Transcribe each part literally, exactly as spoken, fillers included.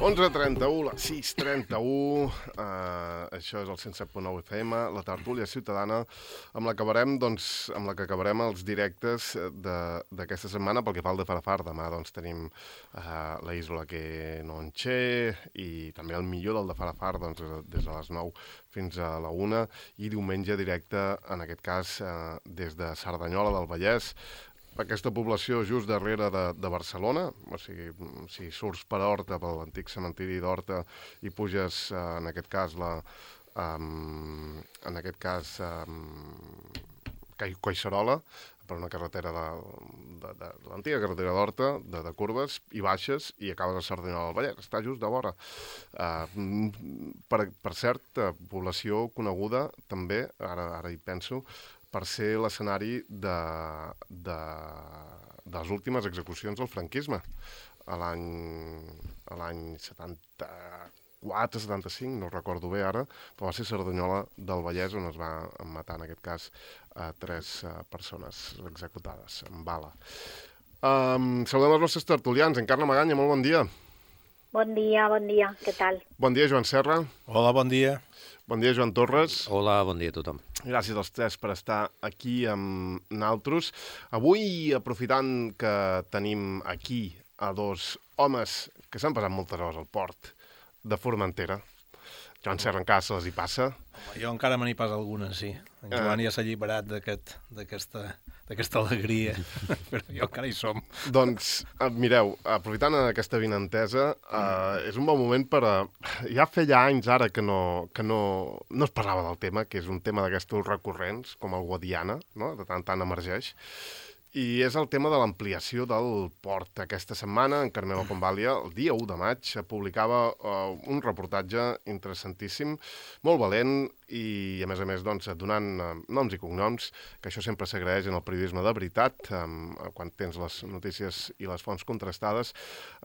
onze trenta-u, les sis trenta-u, uh, això és el cent set punt nou F M, la tertúlia ciutadana, amb la que acabarem, doncs, amb la que acabarem els directes d'aquesta setmana pel que fa al de Farafar. Demà doncs, tenim uh, la Isla que no enché i també el millor del de Farafar doncs, des de les nou fins a la una i diumenge directe, en aquest cas, uh, des de Cerdanyola del Vallès, aquesta població just darrere de, de Barcelona, o sigui, si surts per Horta, per l'antic cementiri d'Horta, i puges, eh, en aquest cas, la, um, en aquest cas, um, Collserola, per una carretera de, de, de, de l'antiga carretera d'Horta, de, de curves, i baixes, i acabes a Cerdanyola del Vallès. Està just de vora. Uh, per, per cert, uh, població coneguda, també, ara, ara hi penso, per ser l'escenari de, de, de les últimes execucions del franquisme, a l'any setanta-quatre setanta-cinc, no recordo bé ara, però va ser Cerdanyola del Vallès on es va matar, en aquest cas, a tres uh, persones executades amb bala. Um, saludem els nostres tertulians. Encarna Maganya, molt bon dia. Bon dia, bon dia. Què tal? Bon dia, Joan Serra. Hola, bon dia. Bon dia, Joan Torres. Hola, bon dia a tothom. Gràcies als tres per estar aquí amb naltros. Avui, aprofitant que tenim aquí a dos homes que s'han passat moltes hores al port de Formentera, Joan Serra encara se les hi passa. Home, jo encara me n'hi passa alguna, sí. En Joan ja s'ha alliberat d'aquesta alegria, però jo encara hi som. Doncs, mireu, aprofitant aquesta vinentesa, eh, és un bon moment per... A... Ja feia anys ara que no, que no, no es parlava del tema, que és un tema d'aquestos recurrents, com el Guadiana, no? De tant tant emergeix. I és el tema de l'ampliació del port. Aquesta setmana, en Carmelo Convàlia, el dia u de maig, publicava uh, un reportatge interessantíssim, molt valent, i, a més a més, doncs, donant uh, noms i cognoms, que això sempre s'agraeix en el periodisme de veritat, um, quan tens les notícies i les fonts contrastades.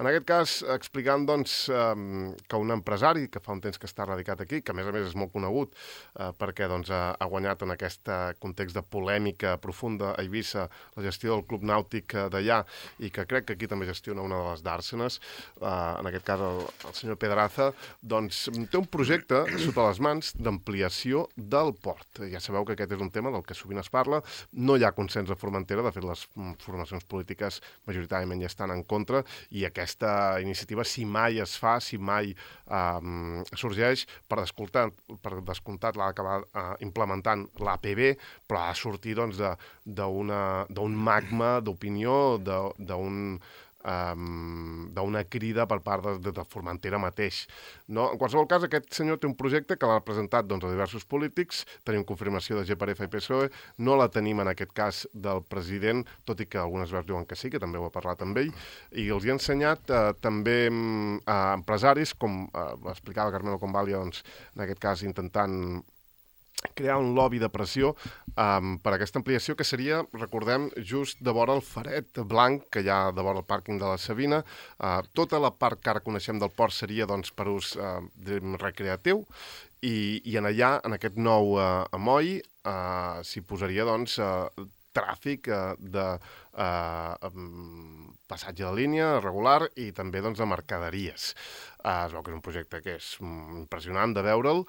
En aquest cas, explicant, doncs, um, que un empresari, que fa un temps que està radicat aquí, que a més a més és molt conegut, uh, perquè doncs, ha, ha guanyat en aquest context de polèmica profunda a Eivissa la gestió del Club Nàutic d'allà, i que crec que aquí també gestiona una de les dàrsenes, uh, en aquest cas el, el senyor Pedraza, doncs té un projecte sota les mans d'ampliació del port. Ja sabeu que aquest és un tema del que sovint es parla. No hi ha consens a Formentera, de fet les formacions polítiques majoritàriament ja estan en contra, i aquesta iniciativa, si mai es fa, si mai um, sorgeix, per descomptat, per descomptat l'ha d'acabar uh, implementant l'A P B, però ha de sortir doncs, d'un magma d'opinió, d'un Um, d'una crida per part de, de, de Formentera mateix. No? En qualsevol cas, aquest senyor té un projecte que l'ha presentat doncs, a diversos polítics, tenim confirmació de G per F i P S O E, no la tenim en aquest cas del president, tot i que algunes veus diuen que sí, que també ho ha parlat amb ell, i els hi ha ensenyat eh, també a empresaris, com eh, explicava Carmelo Convàlia, doncs, en aquest cas intentant crear un lobby de pressió um, per aquesta ampliació, que seria, recordem, just de vora el Faret Blanc, que hi ha de vora el pàrquing de la Sabina. Uh, tota la part que ara coneixem del port seria doncs, per ús uh, recreatiu, i, i en allà, en aquest nou uh, amoll, uh, s'hi posaria doncs, uh, tràfic uh, de uh, um, passatge de línia regular i també doncs, de mercaderies. Uh, es veu que és un projecte que és um, impressionant de veure'l,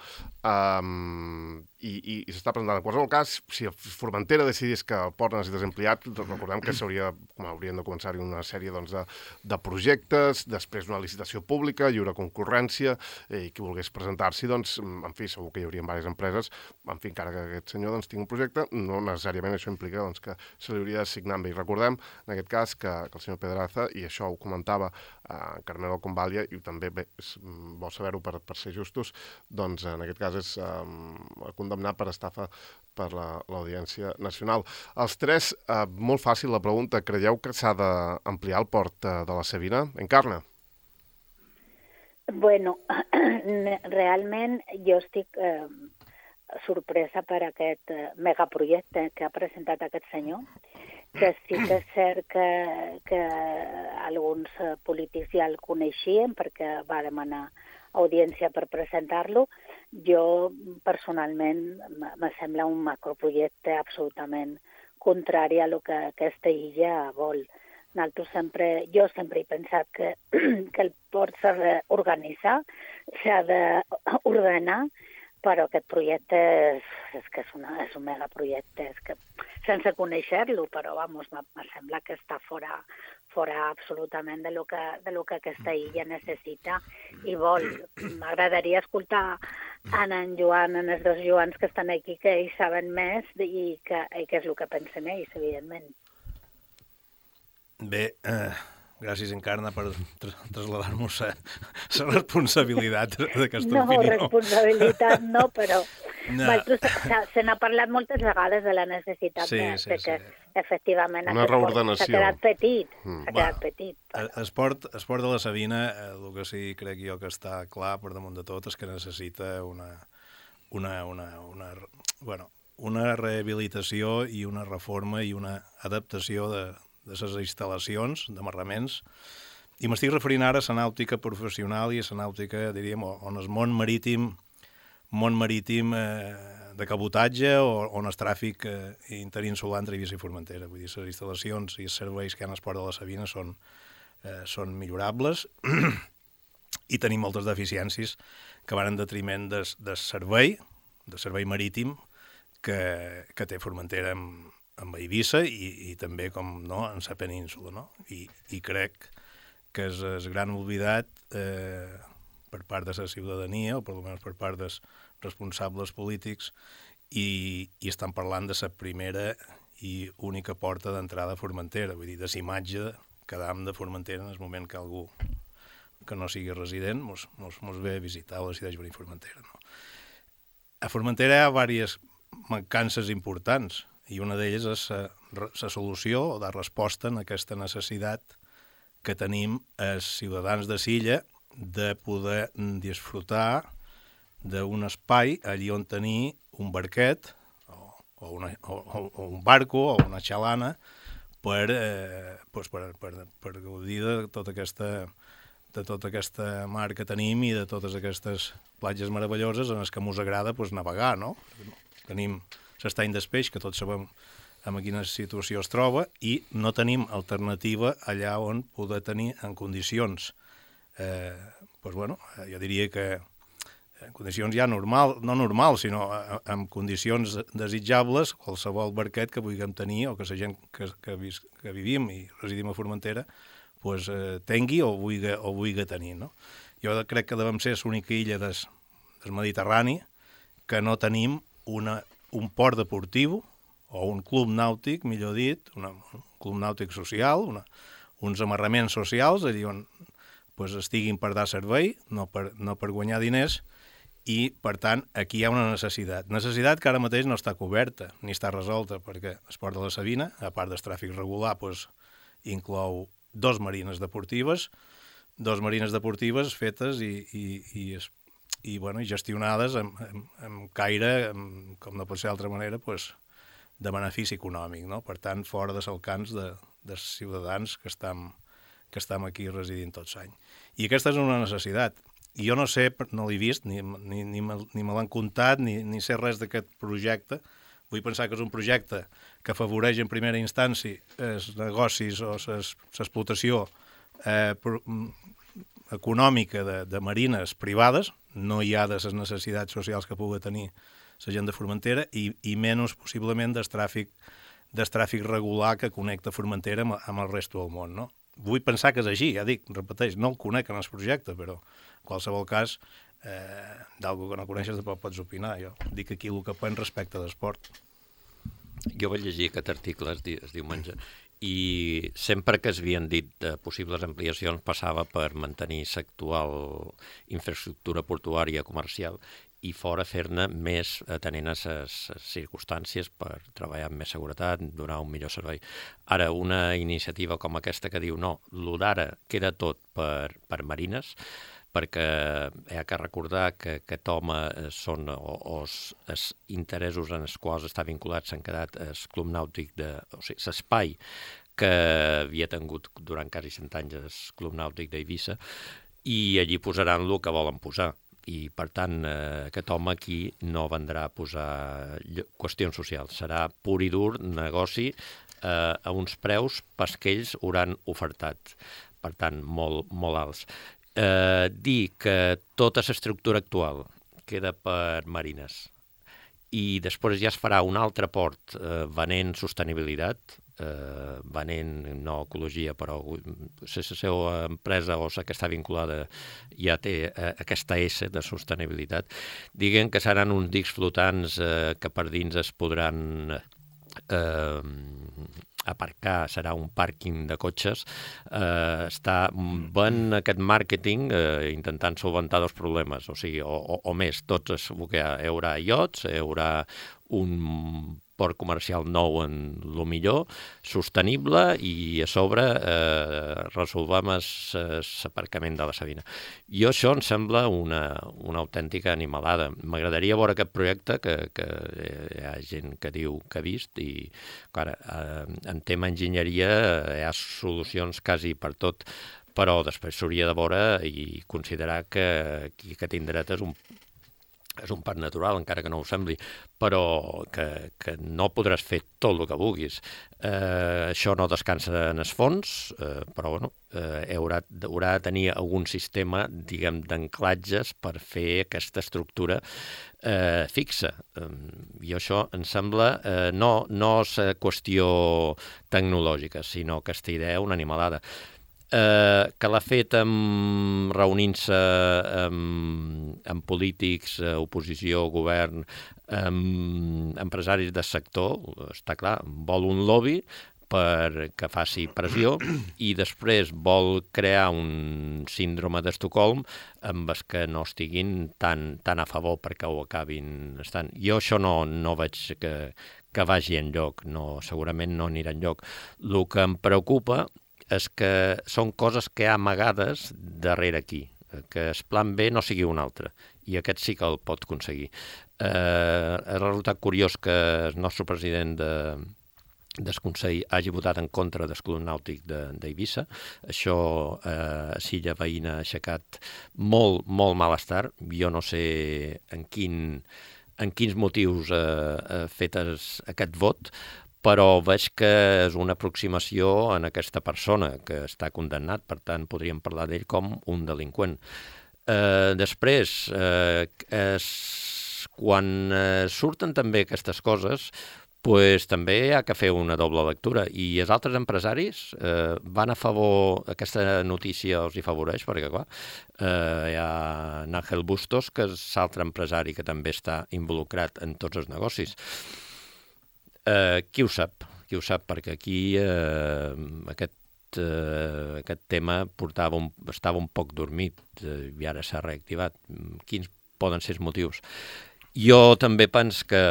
um, i, i, i s'està presentant. En qualsevol cas, si Formentera decidís que el port necessita ser ampliat, doncs recordem que s'hauria, com haurien de començar-hi una sèrie doncs, de, de projectes, després una licitació pública, lliure concurrència, i qui volgués presentar-s'hi, doncs, en fi, segur que hi haurien diverses empreses, en fi, encara que aquest senyor doncs, tingui un projecte, no necessàriament això implica doncs, que se li hauria d'assignar amb ell. Recordem, en aquest cas, que, que el senyor Pedraza, i això ho comentava eh, Carmelo Convàlia, i també bé, és bo saber-ho per, per ser justos, doncs en aquest cas és eh, condemnat per estafa per l'Audiència Nacional. Els tres, eh, molt fàcil la pregunta, creieu que s'ha d'ampliar el port eh, de la Sabina? Encarna? Bueno, realment jo estic eh, sorpresa per aquest eh, megaprojecte que ha presentat aquest senyor, que sí que és cert que, que alguns eh, polítics ja el coneixien perquè va demanar audiència per presentar-lo. Jo, personalment, me sembla un macroprojecte absolutament contrari a el que aquesta illa vol. Nosaltres sempre, jo sempre he pensat que, que el port s'ha d'organitzar, s'ha d'ordenar, però aquest projecte és, és que és, una, és un megaprojecte, és que sense conèixer-lo, però vamos, me sembla que està fora, fora absolutament de lo que, de lo que aquesta illa necessita i vol. M'agradaria escoltar en en Joan, en els dos Joans que estan aquí, que ells saben més i que, i que és el que pensen ells, evidentment. Bé, eh, gràcies, Encarna, per tra traslladar-nos la responsabilitat d'aquesta no, opinió. No, responsabilitat no, però no. se n'ha parlat moltes vegades de la necessitat sí, de, sí, de que, sí. efectivament, una reordenació. S'ha quedat petit, mm. s'ha quedat petit. Però... Esport, esport de la Sabina, el que sí crec jo que està clar per damunt de tot és que necessita una, una, una, una, bueno, una rehabilitació i una reforma i una adaptació de de les instal·lacions d'amarraments, i m'estic referint ara a la nàutica professional i a la nàutica, diríem, on el món marítim, món marítim eh, de cabotatge o on el tràfic eh, interinsular entre Eivissa i Formentera. Vull dir, les instal·lacions i els serveis que hi ha al Port de la Sabina són, eh, són millorables i tenim moltes deficiències que van en detriment del de servei, del servei marítim que, que té Formentera amb amb Eivissa i, i també, com no, en la península, no? I, i crec que és el gran oblidat eh, per part de la ciutadania, o per almenys per part dels responsables polítics, i, i estan parlant de la primera i única porta d'entrada a Formentera, vull dir, de la imatge que dam de Formentera en el moment que algú que no sigui resident mos, mos, mos ve a visitar o decideix venir a Formentera. No? A Formentera hi ha diverses mancances importants, i una d'elles és la solució o la resposta en aquesta necessitat que tenim els ciutadans de l'illa de poder disfrutar d'un espai allí on tenir un barquet o, o, una, o, o un barco o una xalana per, eh, pues per, per, per gaudir de tota aquesta de tota aquesta mar que tenim i de totes aquestes platges meravelloses en les que ens agrada pues, navegar, no? Tenim l'estany d'Espeix, que tots sabem en quina situació es troba, i no tenim alternativa allà on poder tenir en condicions, eh, doncs, bueno, jo diria que en condicions ja normal, no normals, sinó en condicions desitjables, qualsevol barquet que vulguem tenir o que la gent que, que, vis, que vivim i residim a Formentera pues, eh, tingui o vulgui, o vulgui tenir. No? Jo crec que devem ser l'única illa des, del Mediterrani que no tenim una un port deportiu o un club nàutic, millor dit, una, un club nàutic social, una, uns amarraments socials, allà on pues, estiguin per dar servei, no per, no per guanyar diners, i, per tant, aquí hi ha una necessitat. Necessitat que ara mateix no està coberta, ni està resolta, perquè el Port de la Sabina, a part del tràfic regular, pues, inclou dos marines deportives, dos marines deportives fetes i, i, i es i, bueno, gestionades amb, amb, amb caire, amb, com no pot ser d'altra manera, pues, de benefici econòmic, no? Per tant, fora dels alcans de, dels ciutadans que estem, que estem aquí residint tots l'any. I aquesta és una necessitat. I jo no sé, no l'he vist, ni, ni, ni me, ni me l'han contat, ni, ni sé res d'aquest projecte. Vull pensar que és un projecte que afavoreix en primera instància els negocis o l'explotació eh, econòmica de, de marines privades, no hi ha de les necessitats socials que pugui tenir la gent de Formentera i, i menys possiblement del tràfic, del tràfic regular que connecta Formentera amb, amb el resto del món. No? Vull pensar que és així, ja dic, repeteix, no el conec en el projecte, però en qualsevol cas, eh, d'algú que no coneixes tampoc pots opinar. Jo dic aquí el que penso respecte d'esport. Jo vaig llegir aquest article el, di el diumenge i sempre que es havien dit de possibles ampliacions passava per mantenir l'actual infraestructura portuària comercial i fora fer-ne més atenent a les circumstàncies per treballar amb més seguretat, donar un millor servei. Ara, una iniciativa com aquesta que diu no, lo d'ara queda tot per, per marines, perquè hi ha que recordar que aquest home són, o, o els interessos en els quals està vinculat s'han quedat el club nàutic, de, o sigui, l'espai que havia tingut durant quasi cent anys el club nàutic d'Eivissa, i allí posaran el que volen posar. I, per tant, eh, aquest home aquí no vendrà a posar qüestions socials. Serà pur i dur negoci eh, a uns preus pas que ells hauran ofertat, per tant, molt, molt alts. Eh, dir que tota l'estructura actual queda per marines i després ja es farà un altre port eh, venent sostenibilitat, eh, venent no ecologia, però la seva empresa o la que està vinculada ja té eh, aquesta S de sostenibilitat. Diguen que seran uns dics flotants eh, que per dins es podran eh, aparcar, serà un pàrquing de cotxes, eh, està ben aquest màrqueting eh, intentant solventar dos problemes, o sigui, o, o, o més, tots es, hi haurà iots, hi haurà un port comercial nou en lo millor, sostenible i a sobre eh, resolvem l'aparcament de la Sabina. Jo això em sembla una, una autèntica animalada. M'agradaria veure aquest projecte que, que hi ha gent que diu que ha vist i, clar, eh, en tema enginyeria hi ha solucions quasi per tot, però després s'hauria de veure i considerar que qui que té dret és un és un parc natural, encara que no ho sembli, però que, que no podràs fer tot el que vulguis. Eh, això no descansa en els fons, eh, però bueno, eh, haurà, haurà de tenir algun sistema, diguem, d'anclatges per fer aquesta estructura eh, fixa. Eh, I això em sembla, eh, no, no és qüestió tecnològica, sinó aquesta idea una animalada. Eh, que l'ha fet amb, reunint-se amb, amb polítics, oposició, govern, amb empresaris del sector, està clar, vol un lobby perquè faci pressió i després vol crear un síndrome d'Estocolm amb els que no estiguin tan, tan a favor perquè ho acabin estant. Jo això no, no veig que, que vagi enlloc, no, segurament no anirà enlloc. El que em preocupa és que són coses que hi ha amagades darrere aquí, que el plan B no sigui un altre, i aquest sí que el pot aconseguir. Eh, ha resultat curiós que el nostre president de, del Consell hagi votat en contra del Club Nàutic d'Eivissa. Això eh, a Silla Veïna ha aixecat molt, molt malestar. Jo no sé en, quin, en quins motius eh, ha fet aquest vot, però veig que és una aproximació en aquesta persona que està condemnat, per tant podríem parlar d'ell com un delinqüent. Eh, després, eh, es, quan eh, surten també aquestes coses, pues, també hi ha que fer una doble lectura, i els altres empresaris eh, van a favor, aquesta notícia els hi favoreix, perquè clar, eh, hi ha Ángel Bustos, que és l'altre empresari que també està involucrat en tots els negocis. Uh, qui ho sap? Qui ho sap? Perquè aquí uh, aquest, uh, aquest tema portava un, estava un poc dormit uh, i ara s'ha reactivat. Quins poden ser els motius? Jo també penso que,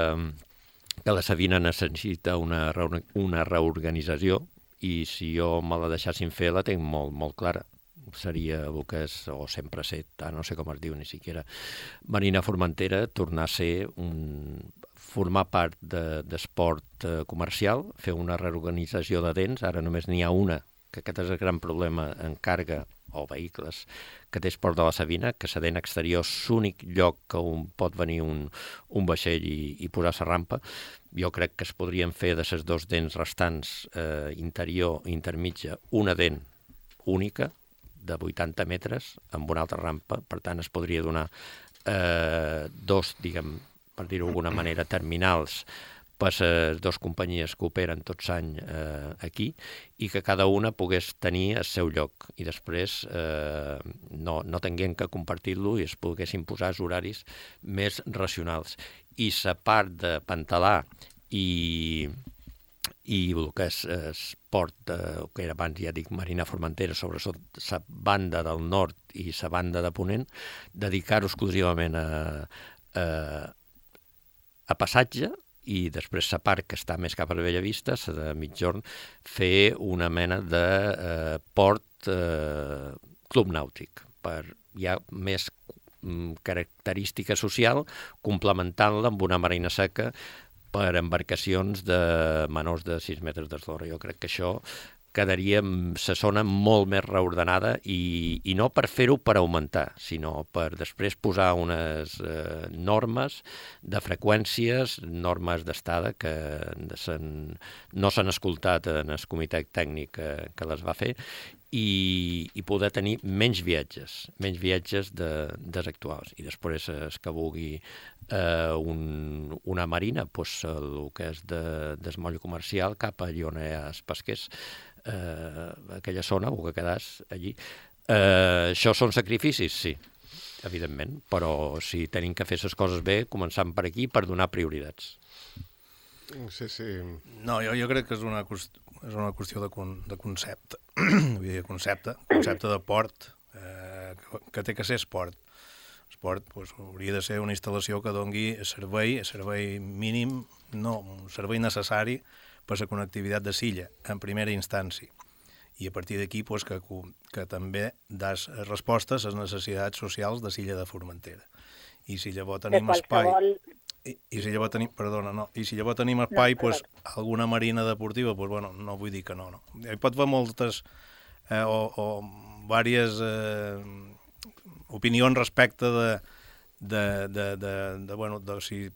que la Sabina necessita una, una reorganització i si jo me la deixassin fer la tinc molt, molt clara. Seria el que és, o sempre ha set, no sé com es diu ni siquiera, Marina Formentera, tornar a ser un... formar part d'esport de, comercial, fer una reorganització de dents, ara només n'hi ha una, que aquest és el gran problema en carga o vehicles, que té Esport de la Sabina, que la dent exterior és l'únic lloc que un, pot venir un, un vaixell i, i posar la rampa. Jo crec que es podrien fer de les dos dents restants, eh, interior i intermitja, una dent única, de vuitanta metres, amb una altra rampa, per tant es podria donar eh, dos, diguem, per dir-ho d'alguna manera, terminals per les dues companyies que operen tots l'any eh, aquí i que cada una pogués tenir el seu lloc i després eh, no, no tinguem que compartir-lo i es poguessin posar els horaris més racionals. I la part de Pantalà i, i el que és esport, eh, que era abans, ja dic, Marina Formentera, sobretot la banda del nord i la banda de Ponent, dedicar-ho exclusivament a, a a passatge i després la part que està més cap a la Bellavista, la de migjorn, fer una mena de eh, port eh, club nàutic, per ja més mm, característica social, complementant-la amb una marina seca per embarcacions de menors de sis metres d'eslora. Jo crec que això quedaria la zona molt més reordenada i, i no per fer-ho per augmentar, sinó per després posar unes eh, normes de freqüències, normes d'estada que sen, no s'han escoltat en el comitè tècnic que, que les va fer i, i poder tenir menys viatges, menys viatges de, dels actuals. I després, el que vulgui eh, un, una marina, doncs, el que és de, del moll comercial cap allà on hi ha els pesquers, eh, aquella zona, o que quedàs allí. Eh, això són sacrificis, sí, evidentment, però si tenim que fer les coses bé, començant per aquí, per donar prioritats. Sí, sí. No, jo, jo crec que és una qüestió, és una qüestió de, con, de concepte. Vull dir, concepte, concepte de port, eh, que, que té que ser esport. Esport doncs, hauria de ser una instal·lació que dongui servei, servei mínim, no, un servei necessari per la connectivitat de l'illa, en primera instància. I a partir d'aquí doncs, que, que també das respostes a les necessitats socials de l'illa de Formentera. I si llavors tenim espai... I, i si llavors tenim, perdona, no, i si llavors tenim espai, no, pues, alguna marina deportiva, pues, bueno, no vull dir que no, no. Hi pot haver moltes eh, o, o diverses eh, opinions respecte de, de, de, de, de, bueno, de si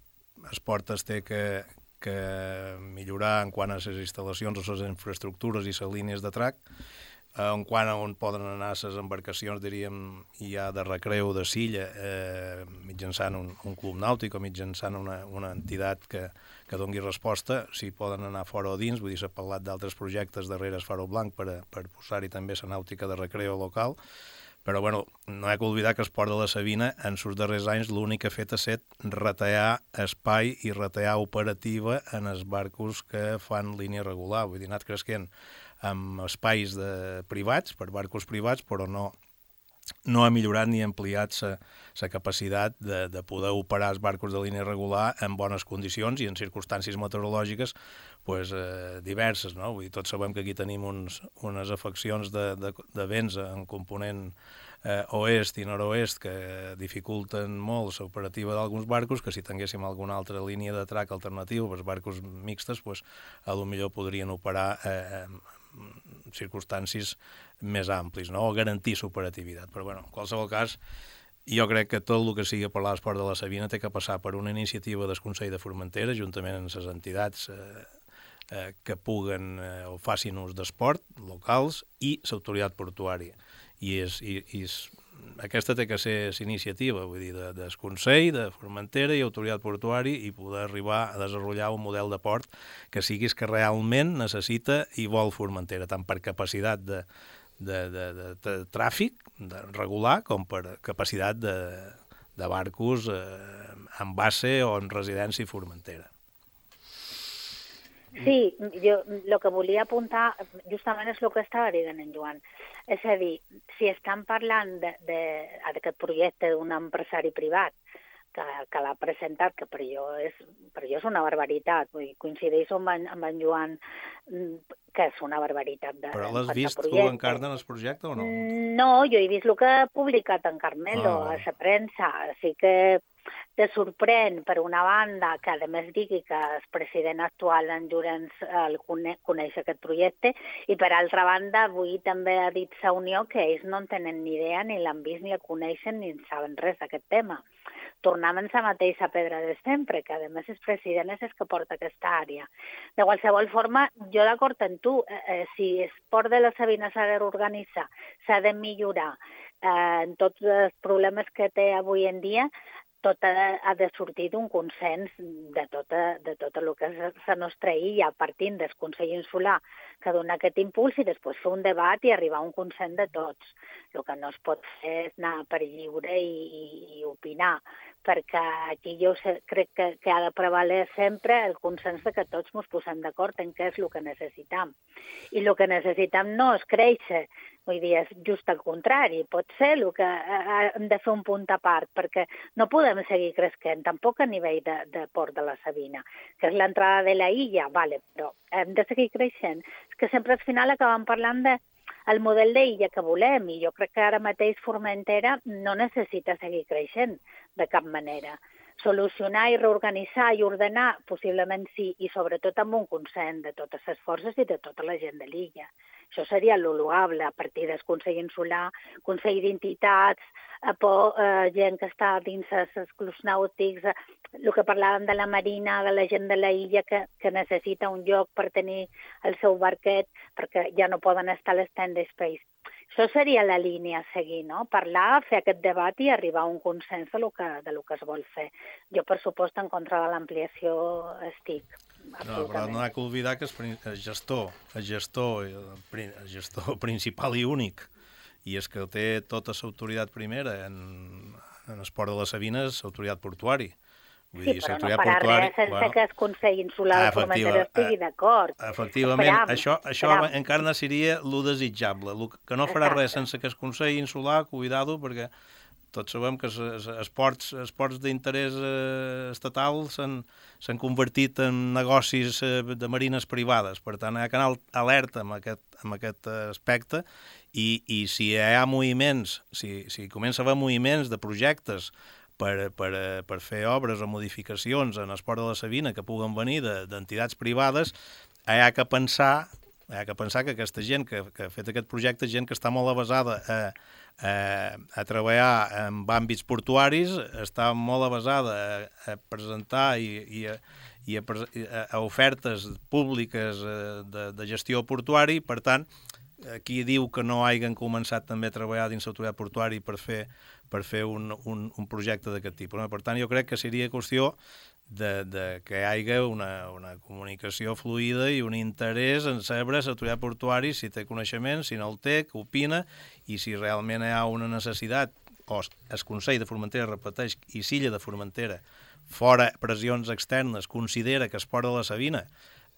esport es té que, que millorar en quant a les instal·lacions o les infraestructures i les línies de trac, en quant a on poden anar les embarcacions, diríem, ja de recreu de silla, eh, mitjançant un, un club nàutic o mitjançant una, una entitat que, que doni resposta, si poden anar fora o dins, vull dir, s'ha parlat d'altres projectes darrere el Faro Blanc per, per posar-hi també la nàutica de recreu local, però bueno, no hi ha que oblidar que el Port de la Sabina, en els darrers anys, l'únic que ha fet ha estat retallar espai i retallar operativa en els barcos que fan línia regular, vull dir, ha anat creixent amb espais de privats, per barcos privats, però no, no ha millorat ni ampliat la capacitat de, de poder operar els barcos de línia regular en bones condicions i en circumstàncies meteorològiques pues, eh, diverses. No? Vull dir, tots sabem que aquí tenim uns, unes afeccions de, de, de vents en component eh, oest i nord-oest que dificulten molt l'operativa d'alguns barcos, que si tinguéssim alguna altra línia de trac alternativa per barcos mixtes, pues, a lo millor podrien operar eh, circumstàncies més amplis, no? O garantir l'operativitat. Però, bueno, en qualsevol cas, jo crec que tot el que sigui parlar d'esport de la Sabina té que passar per una iniciativa del Consell de Formentera, juntament amb les entitats eh, eh, que puguen eh, o facin ús d'esport locals i l'autoritat portuària. I, és, i, i és, aquesta té que ser l'iniciativa, vull dir, de, del Consell, de Formentera i autoritat portuària i poder arribar a desenvolupar un model de port que siguis que realment necessita i vol Formentera, tant per capacitat de, de, de, de, de tràfic de regular com per capacitat de, de barcos eh, en base o en residència Formentera. Sí, jo el que volia apuntar justament és el que estava dient en Joan. És a dir, si estan parlant d'aquest projecte d'un empresari privat que, que l'ha presentat, que per jo és, per jo és una barbaritat, vull dir, coincideixo amb en, amb en Joan que és una barbaritat. De, Però l'has vist tu encara en el projecte o no? No, jo he vist el que ha publicat en Carmelo ah, a la premsa, així que te sorprèn, per una banda, que a més digui que el president actual, en Llorenç, el coneix, coneix aquest projecte, i per altra banda, avui també ha dit la Unió que ells no en tenen ni idea, ni l'han vist, ni el coneixen, ni en saben res d'aquest tema. Tornem en la mateixa pedra de sempre, que a més el president és el que porta aquesta àrea. De qualsevol forma, jo d'acord amb tu, eh, si el port de la Sabina s'ha d'organitzar, s'ha de millorar eh, en tots els problemes que té avui en dia, tot ha, ha de sortir d'un consens de tota, de tot el que és la nostra illa, partint del Consell Insular, que dona aquest impuls, i després fer un debat i arribar a un consens de tots. El que no es pot fer és anar per lliure i, i, i opinar, perquè aquí jo sé, crec que, que ha de prevaler sempre el consens de que tots ens posem d'acord en què és el que necessitam. I el que necessitam no és créixer, vull dir, és just al contrari, pot ser el que hem de fer un punt a part, perquè no podem seguir creixent, tampoc a nivell de, de Port de la Sabina, que és l'entrada de la illa, vale, però hem de seguir creixent. És que sempre al final acabem parlant de el model d'illa que volem, i jo crec que ara mateix Formentera no necessita seguir creixent de cap manera. Solucionar i reorganitzar i ordenar, possiblement sí, i sobretot amb un consens de totes les forces i de tota la gent de l'illa. Això seria lo loable, a partir del Consell Insular, Consell d'Entitats, eh, por, eh, gent que està dins els clubs nàutics, eh, el que parlàvem de la marina, de la gent de la illa que, que necessita un lloc per tenir el seu barquet, perquè ja no poden estar a l'stand space. Això seria la línia a seguir, no? Parlar, fer aquest debat i arribar a un consens de lo que, de lo que es vol fer. Jo, per supost, en contra de l'ampliació estic. No, però no ha que oblidar que el gestor, el gestor, el gestor principal i únic, i és que té tota l'autoritat primera en, en esport de les Sabines, l'autoritat portuari. Vull Sí, dir, però no l'autoritat farà portuari, res sense bueno, que el Consell Insular de Formentera estigui d'acord. Efectivament, Esperam, això, això esperam. encara seria lo desitjable. Lo que no farà res sense que el Consell Insular, cuidado, perquè tots sabem que els esports, esports d'interès eh, estatal s'han convertit en negocis eh, de marines privades. Per tant, hi ha que anar alerta amb aquest, amb aquest aspecte i, i si hi ha moviments, si, si comença a haver moviments de projectes per, per, per fer obres o modificacions en esport de la Sabina que puguen venir d'entitats privades, hi ha que pensar, hi ha que pensar que aquesta gent que, que ha fet aquest projecte és gent que està molt avasada a, a, a treballar en àmbits portuaris, està molt avasada a, a presentar i, i, a, i a, a, a ofertes públiques de, de gestió portuari. Per tant, aquí diu que no hagin començat també a treballar dins l'autoritat portuari per fer, per fer un, un, un projecte d'aquest tipus. No? Per tant, jo crec que seria qüestió de, de que hi hagi una, una comunicació fluida i un interès en saber l'autoritat portuari si té coneixement, si no el té, què opina, i si realment hi ha una necessitat, o el Consell de Formentera repeteix, i Silla de Formentera, fora pressions externes, considera que Esport de la Sabina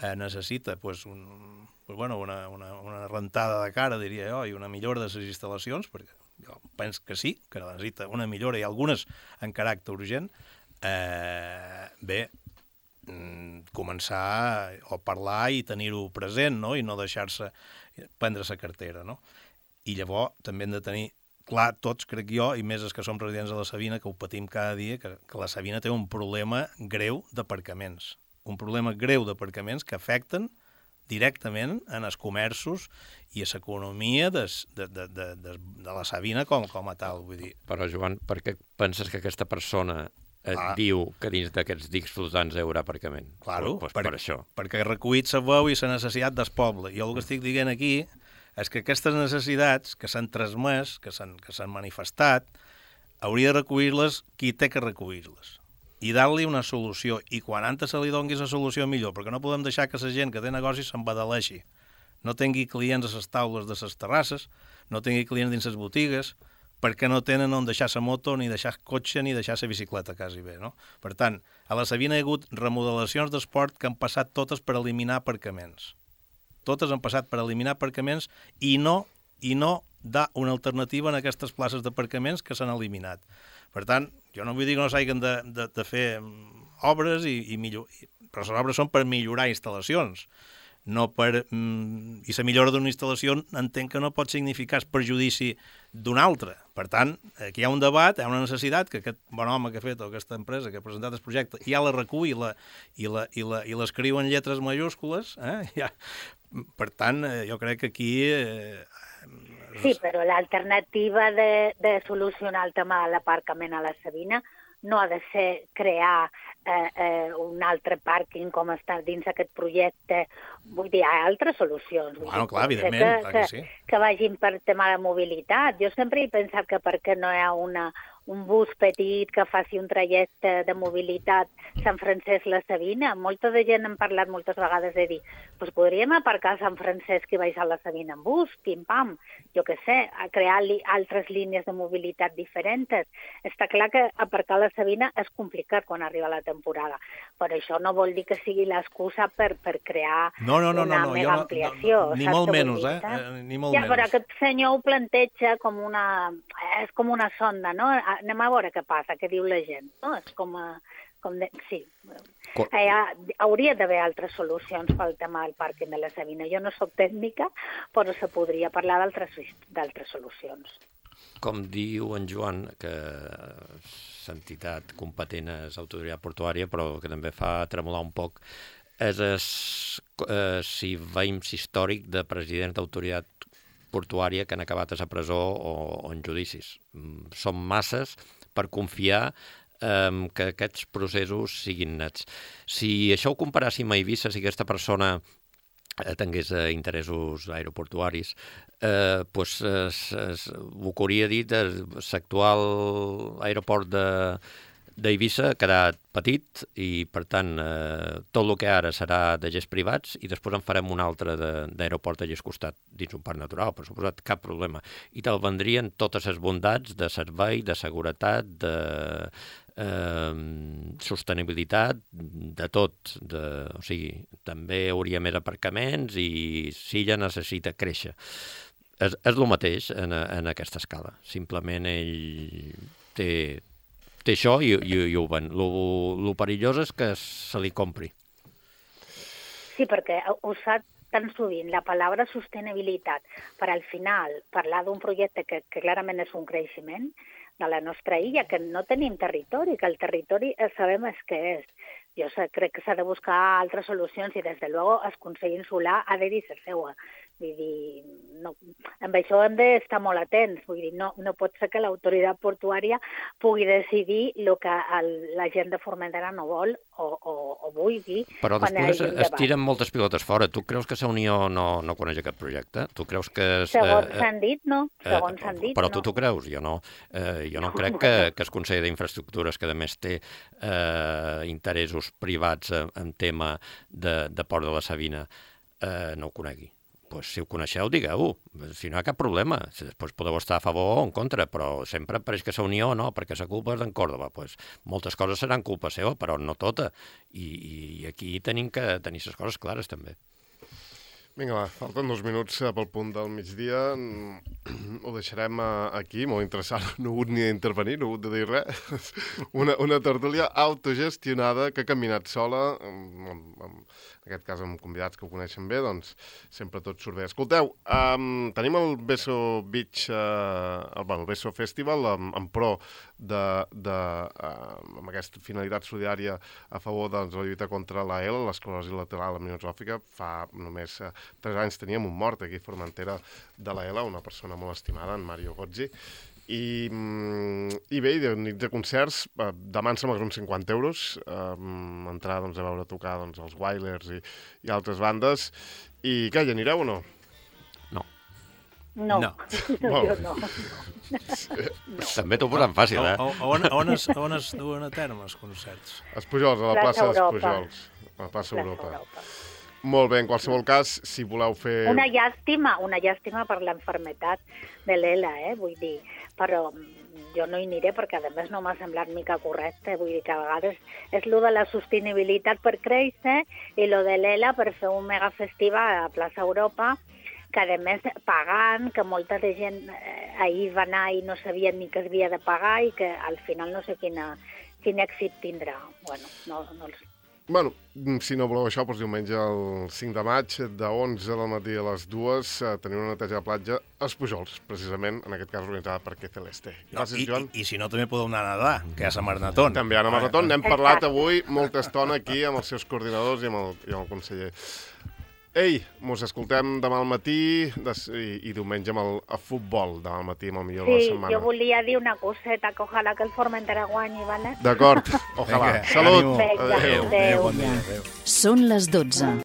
eh, necessita pues, un, pues, bueno, una, una, una rentada de cara, diria jo, i una millora de les instal·lacions, perquè jo penso que sí, que necessita una millora i algunes en caràcter urgent, eh, bé, començar a parlar i tenir-ho present, no? I no deixar-se prendre la cartera, no? I llavors també hem de tenir clar tots, crec jo, i més els que som residents de la Sabina, que ho patim cada dia, que, que la Sabina té un problema greu d'aparcaments. Un problema greu d'aparcaments que afecten directament en els comerços i a l'economia de, de, de, de, de, de la Sabina com, com a tal. Vull dir. Però, Joan, per què penses que aquesta persona et ah. diu que dins d'aquests dics flotants hi haurà aparcament? Claro, pues per, per això. Perquè ha recollit la veu i la necessitat del poble. Jo el que estic dient aquí és que aquestes necessitats que s'han transmès, que s'han que s'han manifestat, hauria de recollir-les qui té que recollir-les i dar-li una solució. I quan antes se li doni la solució millor, perquè no podem deixar que la gent que té negocis s'embadaleixi. No tingui clients a les taules de les terrasses, no tingui clients dins les botigues, perquè no tenen on deixar la moto, ni deixar cotxe, ni deixar la bicicleta, quasi bé, no? Per tant, a la Sabina hi ha hagut remodelacions d'esport que han passat totes per eliminar aparcaments. Totes han passat per eliminar aparcaments i no, i no dar una alternativa en aquestes places d'aparcaments que s'han eliminat. Per tant, jo no vull dir que no s'hagin de, de, de fer obres, i, i millor, però les obres són per millorar instal·lacions. No per, mm, i la millora d'una instal·lació entenc que no pot significar el perjudici d'una altra. Per tant, aquí hi ha un debat, hi ha una necessitat que aquest bon home que ha fet, o aquesta empresa que ha presentat el projecte, ja la recull i, la, i, la, i, la, i l'escriu en lletres majúscules. Eh? Ja. Per tant, jo crec que aquí... Eh, sí, però l'alternativa de, de solucionar el tema de l'aparcament a la Sabina no ha de ser crear eh, eh, un altre pàrquing com està dins aquest projecte. Vull dir, hi ha altres solucions. Vull bueno, dir, clar, evidentment, que, clar que, que sí. Que vagin per tema de mobilitat. Jo sempre he pensat que per què no hi ha una, un bus petit que faci un trajecte de mobilitat Sant Francesc-La Sabina. Molta de gent hem parlat moltes vegades de dir pues podríem aparcar a Sant Francesc i baixar a la Sabina en bus, pim-pam, jo què sé, a crear li, altres línies de mobilitat diferents. Està clar que aparcar a la Sabina és complicat quan arriba la temporada, però això no vol dir que sigui l'excusa per, per crear no, no, no, una no, no, mega no, ampliació. No, no, ni molt menys, eh? eh? Ni molt ja, menys. però aquest senyor ho planteja com una... és com una sonda, no? Anem a veure què passa, què diu la gent, no? És com a... Com de, sí, hi ha, hauria d'haver altres solucions pel tema del pàrquing de la Sabina. Jo no soc tècnica, però se podria parlar d'altres solucions. Com diu en Joan, que l'entitat competent és l'autoritat portuària, però que també fa tremolar un poc, és el eh, si veïms històric de president d'autoritat portuària que han acabat a la presó o, o en judicis. Són masses per confiar eh, que aquests processos siguin nets. Si això ho comparàssim a Eivissa, si aquesta persona eh, tingués eh, interessos aeroportuaris, eh, pues, eh, es, ho que hauria dit l'actual aeroport de d'Eivissa ha quedat petit i, per tant, eh, tot el que ara serà de gest privats i després en farem un altre d'aeroport allà al costat, dins un parc natural, per suposat, cap problema. I te'l vendrien totes les bondats de servei, de seguretat, de eh, sostenibilitat, de tot. De, o sigui, també hauria més aparcaments i Silla necessita créixer. És, és el mateix en, en aquesta escala. Simplement ell té... té això i, i, i ho ven. Lo, lo perillós és que se li compri. Sí, perquè usar tan sovint la paraula sostenibilitat per al final parlar d'un projecte que, que clarament és un creixement de la nostra illa, que no tenim territori, que el territori sabem és què és. Jo sé, crec que s'ha de buscar altres solucions i, des de luego, el Consell Insular ha de dir ser seua. Vull dir, no, amb això hem d'estar molt atents. Vull dir, no, no pot ser que l'autoritat portuària pugui decidir el que el, la gent de Formentera no vol o, o, o vulgui. Però després es tiren moltes pilotes fora. Tu creus que la Unió no, no coneix aquest projecte? Tu creus que... És, segons eh, s'han dit, no. Segons eh, s'han dit, però no. tu t'ho creus? Jo no. Eh, jo no crec que, que el Consell d'Infraestructures, que a més té eh, interessos privats en, en tema de, de Port de la Sabina, eh, no ho conegui. Pues, si ho coneixeu, digueu-ho. Si no hi ha cap problema. Després podeu estar a favor o en contra, però sempre pareix que la Unió no, perquè la culpa és d'en Còrdova. Pues, moltes coses seran culpa seva, però no tota. I, i aquí tenim que tenir les coses clares, també. Vinga, va, falten dos minuts pel punt del migdia. Ho deixarem aquí, molt interessant. No he hagut ni d'intervenir, no he hagut de dir res. Una, una tertúlia autogestionada que ha caminat sola, amb, amb, amb, en aquest cas amb convidats que ho coneixen bé, doncs sempre tot surt bé. Escolteu, um, tenim el Beso Beach, uh, el, bueno, el Beso Festival, en, en pro de, de, uh, amb aquesta finalitat solidària a favor de la lluita contra la E L, l'esclerosi lateral aminotròfica. Fa només uh, tres anys teníem un mort aquí a Formentera de la E L, una persona molt estimada, en Mario Gozzi. I, i bé, de nits de concerts, demà em sembla que uns cinquanta euros, um, entrar doncs, a veure tocar doncs, els Wailers i, i altres bandes. I què, hi anireu o no? No. No, no. no jo no. no. També t'ho posant fàcil, eh? A, a, on, on, es, on es duen a terme els concerts? Els Pujols, a la plaça, plaça dels Pujols. A la plaça, plaça Europa. Europa. Molt bé, en qualsevol cas, si voleu fer... Una llàstima, una llàstima per l'enfermetat de l'E L A, eh? Vull dir, però jo no hi aniré perquè, a més, no m'ha semblat mica correcte. Vull dir que a vegades és lo de la sostenibilitat per créixer i lo de l'E L A per fer un megafestival a plaça Europa, que, a més, pagant, que molta de gent eh, ahir va anar i no sabien ni que es havia de pagar i que al final no sé quina, quin èxit tindrà. Bueno, no, no els... Bueno, si no voleu això, doncs diumenge el cinc de maig, de onze del matí a les dues, eh, tenim una neteja de platja als Pujols, precisament, en aquest cas organitzada per Que Celeste. Gràcies, no, i, Joan. I, I si no, també podeu anar a nedar, que hi ha la Marnatón. També hi ha la Marnatón. N'hem parlat avui molta estona aquí amb els seus coordinadors i amb el, i amb el conseller. Ei, mos escoltem demà al matí des, i, i diumenge amb el, el futbol, demà al matí amb el millor sí, de la setmana. Sí, jo volia dir una coseta, que ojalà que el Formentera guanyi, ¿vale? D'acord, ojalà. Vinga, Salut. Vinga, adéu. adéu. Bon dia, adéu. Són les dotze.